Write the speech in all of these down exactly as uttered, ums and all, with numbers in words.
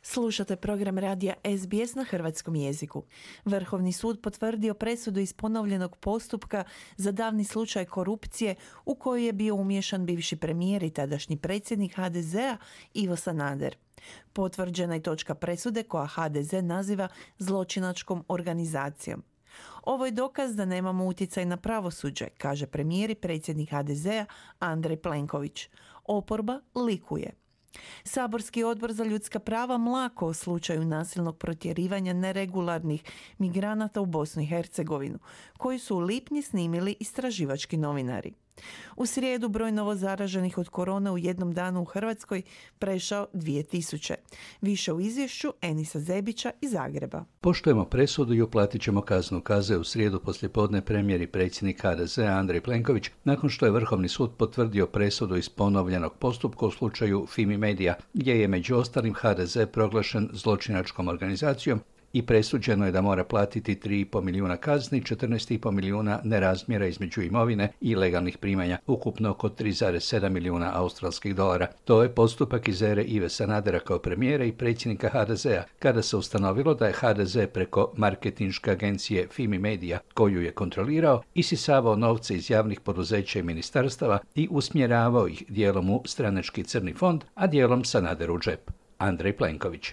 Slušate program radija S B S na hrvatskom jeziku. Vrhovni sud potvrdio presudu iz ponovljenog postupka za davni slučaj korupcije u koji je bio umiješan bivši premijer i tadašnji predsjednik H D Z-a Ivo Sanader. Potvrđena je točka presude koja H D Z naziva zločinačkom organizacijom. Ovo je dokaz da nemamo utjecaj na pravosuđe, kaže premijer i predsjednik H D Z-a Andrej Plenković. Oporba likuje. Saborski odbor za ljudska prava mlako o slučaju nasilnog protjerivanja neregularnih migranata u Bosnu i Hercegovinu, koji su u lipnju snimili istraživački novinari. U srijedu broj novozaraženih od korone u jednom danu u Hrvatskoj prešao dvije tisuće. Više u izvješću Enisa Zebića iz Zagreba. Poštujemo presudu i uplatit ćemo kaznu, kazao u srijedu poslijepodne premijer i predsjednik H D Z-a Andrej Plenković nakon što je Vrhovni sud potvrdio presudu iz ponovljenog postupka u slučaju Fimi Media, gdje je među ostalim H D Z proglašen zločinačkom organizacijom i presuđeno je da mora platiti tri i pol milijuna kazni, četrnaest i pol milijuna nerazmjera između imovine i legalnih primanja, ukupno oko tri zarez sedam milijuna australskih dolara. To je postupak iz ere Ive Sanadera kao premijera i predsjednika H D Z-a, kada se ustanovilo da je H D Z preko marketinške agencije Fimi Media, koju je kontrolirao, isisavao novce iz javnih poduzeća i ministarstava i usmjeravao ih dijelom u stranački crni fond, a dijelom Sanaderu u džep. Andrej Plenković.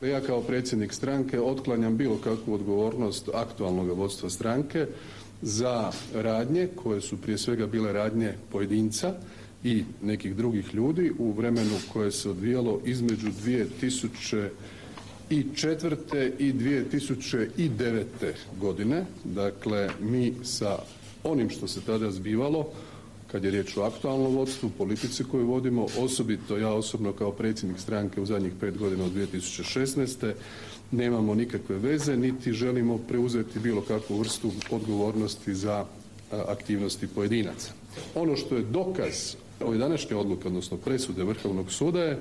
Ja kao predsjednik stranke otklanjam bilo kakvu odgovornost aktualnog vodstva stranke za radnje koje su prije svega bile radnje pojedinca i nekih drugih ljudi u vremenu koje se odvijalo između dvije tisuće četvrte i dvije tisuće devete. godine. Dakle, mi sa onim što se tada zbivalo, kad je riječ o aktualnom vodstvu, politici koju vodimo, osobito ja osobno kao predsjednik stranke u zadnjih pet godina od dvije tisuće šesnaeste. nemamo nikakve veze, niti želimo preuzeti bilo kakvu vrstu odgovornosti za aktivnosti pojedinaca. Ono što je dokaz ove današnje odluke, odnosno presude Vrhovnog suda, je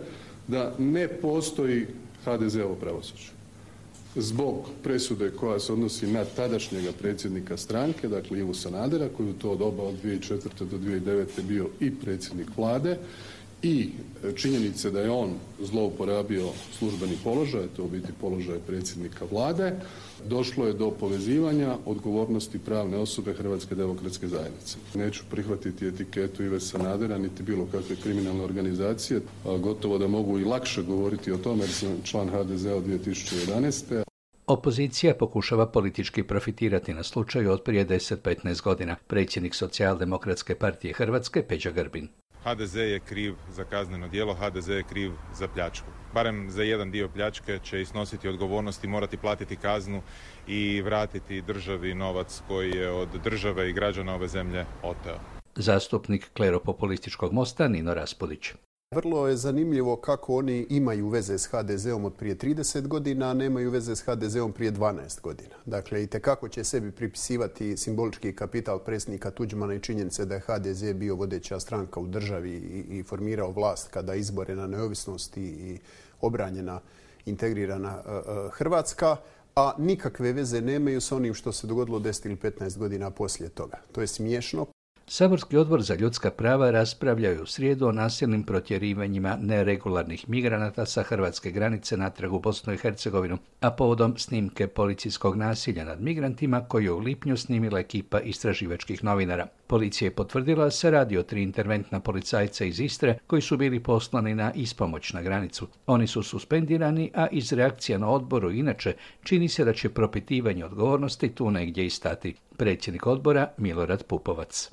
da ne postoji H D Z-ovo pravosuđe. Zbog presude koja se odnosi na tadašnjega predsjednika stranke, dakle Ivu Sanadera, koji u to doba od dvije tisuće četvrte do dvije tisuće devete. bio i predsjednik vlade, i činjenice da je on zlouporabio službeni položaj, to u biti položaj predsjednika vlade, došlo je do povezivanja odgovornosti pravne osobe Hrvatske demokratske zajednice. Neću prihvatiti etiketu Ive Sanadera niti bilo kakve kriminalne organizacije, a gotovo da mogu i lakše govoriti o tome jer sam član H D Z-a od dvije tisuće jedanaeste. Opozicija pokušava politički profitirati na slučaju od prije deset do petnaest godina. Predsjednik Socijaldemokratske partije Hrvatske Peđa Grbin. H D Z je kriv za kazneno djelo, H D Z je kriv za pljačku. Barem za jedan dio pljačke će isnositi odgovornost i morati platiti kaznu i vratiti državi novac koji je od države i građana ove zemlje oteo. Zastupnik kleropopulističkog Mosta Nino Raspudić. Vrlo je zanimljivo kako oni imaju veze s H D Z-om od prije trideset godina, a nemaju veze s H D Z-om prije dvanaest godina. Dakle, i tekako će sebi pripisivati simbolički kapital predsjednika Tuđmana i činjenice da je H D Z bio vodeća stranka u državi i, i formirao vlast kada je izborena neovisnost i, i obranjena integrirana uh, Hrvatska, a nikakve veze nemaju sa onim što se dogodilo deset ili petnaest godina poslije toga. To je smiješno. Saborski odbor za ljudska prava raspravljao je u srijedu o nasilnim protjerivanjima neregularnih migranata sa hrvatske granice natrag u Bosnu i Hercegovinu, a povodom snimke policijskog nasilja nad migrantima koju je u lipnju snimila ekipa istraživačkih novinara. Policija je potvrdila da se radi o tri interventna policajca iz Istre koji su bili poslani na ispomoć na granicu. Oni su suspendirani, a iz reakcija na odboru inače čini se da će propitivanje odgovornosti tu negdje i stati. Predsjednik odbora Milorad Pupovac.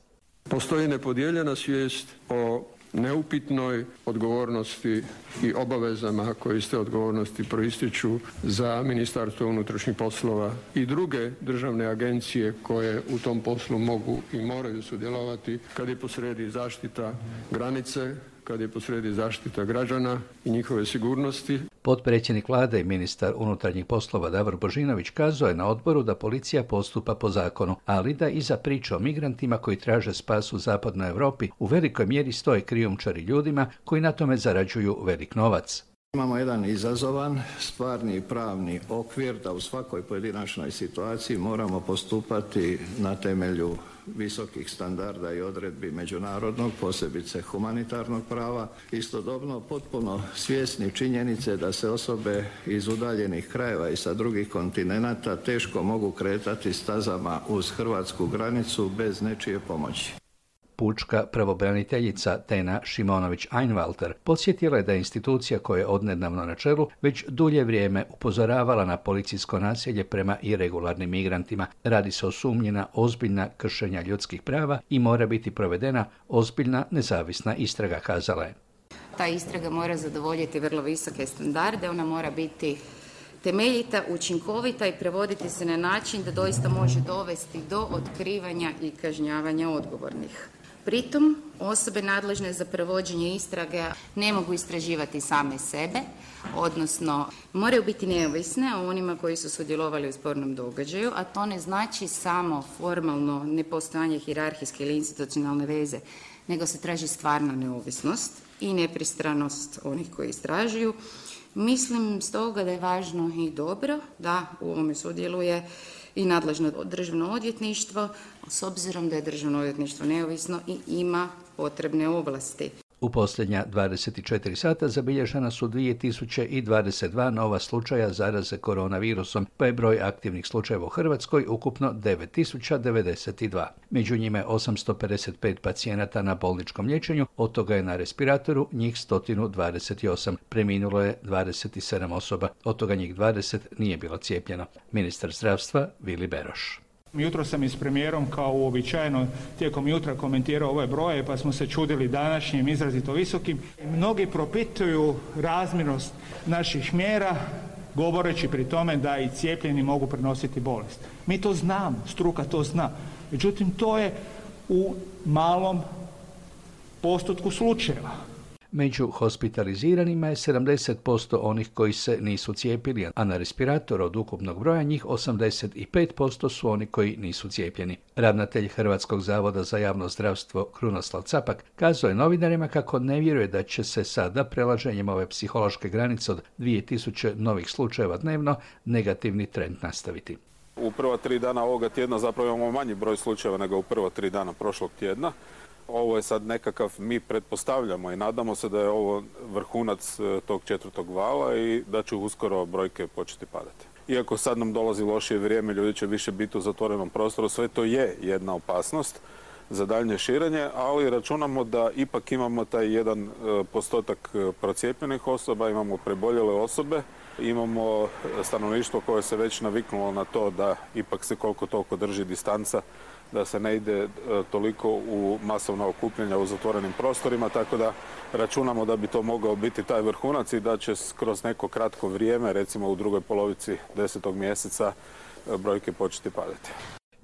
Postoji nepodijeljena svijest o neupitnoj odgovornosti i obavezama koje iz te odgovornosti proističu za Ministarstvo unutrašnjih poslova i druge državne agencije koje u tom poslu mogu i moraju sudjelovati kad je posrijedi zaštita granice, kad je posrijedi zaštita građana i njihove sigurnosti. Potpredsjednik vlade i ministar unutarnjih poslova Davor Božinović kazao je na odboru da policija postupa po zakonu, ali da iza priče o migrantima koji traže spas u zapadnoj Europi u velikoj mjeri stoje krijumčari ljudima koji na tome zarađuju velik novac. Imamo jedan izazovan stvarni i pravni okvir da u svakoj pojedinačnoj situaciji moramo postupati na temelju visokih standarda i odredbi međunarodnog, posebice humanitarnog prava. Istodobno potpuno svjesni činjenice da se osobe iz udaljenih krajeva i sa drugih kontinenata teško mogu kretati stazama uz hrvatsku granicu bez nečije pomoći. Pučka pravobraniteljica Tena Šimonović-Einwalter podsjetila je da je institucija koja je odnedavno na čelu već dulje vrijeme upozoravala na policijsko nasilje prema iregularnim migrantima. Radi se o sumnji na ozbiljna kršenja ljudskih prava i mora biti provedena ozbiljna nezavisna istraga, kazala je. Ta istraga mora zadovoljiti vrlo visoke standarde, ona mora biti temeljita, učinkovita i prevoditi se na način da doista može dovesti do otkrivanja i kažnjavanja odgovornih. Pritom, osobe nadležne za provođenje istrage ne mogu istraživati same sebe, odnosno moraju biti neovisne o onima koji su sudjelovali u spornom događaju, a to ne znači samo formalno nepostojanje hijerarhijske ili institucionalne veze, nego se traži stvarna neovisnost i nepristranost onih koji istražuju. Mislim stoga da je važno i dobro da u ovome sudjeluje i nadležno državno odvjetništvo, s obzirom da je državno odvjetništvo neovisno i ima potrebne ovlasti. U posljednja dvadeset četiri sata zabilježena su dvije tisuće dvadeset dva nova slučaja zaraze koronavirusom, pa je broj aktivnih slučajeva u Hrvatskoj ukupno devet tisuća devedeset dva. Među njima je osamsto pedeset pet pacijenata na bolničkom liječenju, od toga je na respiratoru njih sto dvadeset osam. Preminulo je dvadeset sedam osoba, od toga njih dvadeset nije bilo cijepljeno. Ministar zdravstva Vili Beroš. Jutro sam i s premijerom kao uobičajeno tijekom jutra komentirao ove broje, pa smo se čudili današnjim izrazito visokim. Mnogi propituju razmjernost naših mjera, govoreći pri tome da i cijepljeni mogu prenositi bolest. Mi to znamo, struka to zna. Međutim, to je u malom postotku slučajeva. Među hospitaliziranima je sedamdeset posto onih koji se nisu cijepili, a na respirator od ukupnog broja njih osamdeset pet posto su oni koji nisu cijepljeni. Ravnatelj Hrvatskog zavoda za javno zdravstvo Krunoslav Capak kazao je novinarima kako ne vjeruje da će se sada prelaženjem ove psihološke granice od dvije tisuće novih slučajeva dnevno negativni trend nastaviti. U prva tri dana ovoga tjedna zapravo imamo manji broj slučajeva nego u prva tri dana prošlog tjedna. Ovo je sad nekakav, mi pretpostavljamo i nadamo se da je ovo vrhunac tog četvrtog vala i da će uskoro brojke početi padati. Iako sad nam dolazi lošije vrijeme, ljudi će više biti u zatvorenom prostoru, sve to je jedna opasnost za daljnje širenje, ali računamo da ipak imamo taj jedan postotak procijepljenih osoba, imamo preboljele osobe, imamo stanovništvo koje se već naviknulo na to da ipak se koliko toliko drži distanca, da se ne ide toliko u masovna okupljanja u zatvorenim prostorima, tako da računamo da bi to mogao biti taj vrhunac i da će kroz neko kratko vrijeme, recimo u drugoj polovici desetog mjeseca, brojke početi padati.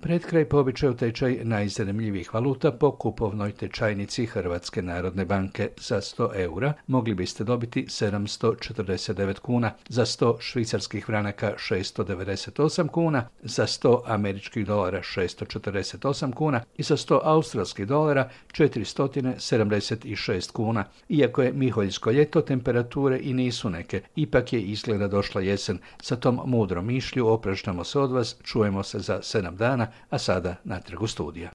Pred kraj po običaju tečaj najzanimljivijih valuta po kupovnoj tečajnici Hrvatske narodne banke. Za sto eura mogli biste dobiti sedamsto četrdeset devet kuna, za sto švicarskih franaka šesto devedeset osam kuna, za sto američkih dolara šesto četrdeset osam kuna i za sto australskih dolara četiristo sedamdeset šest kuna. Iako je miholjsko ljeto, temperature i nisu neke, ipak je izgleda došla jesen. Sa tom mudrom mišlju opraštamo se od vas, čujemo se za sedam dana, a sada natrag u studija.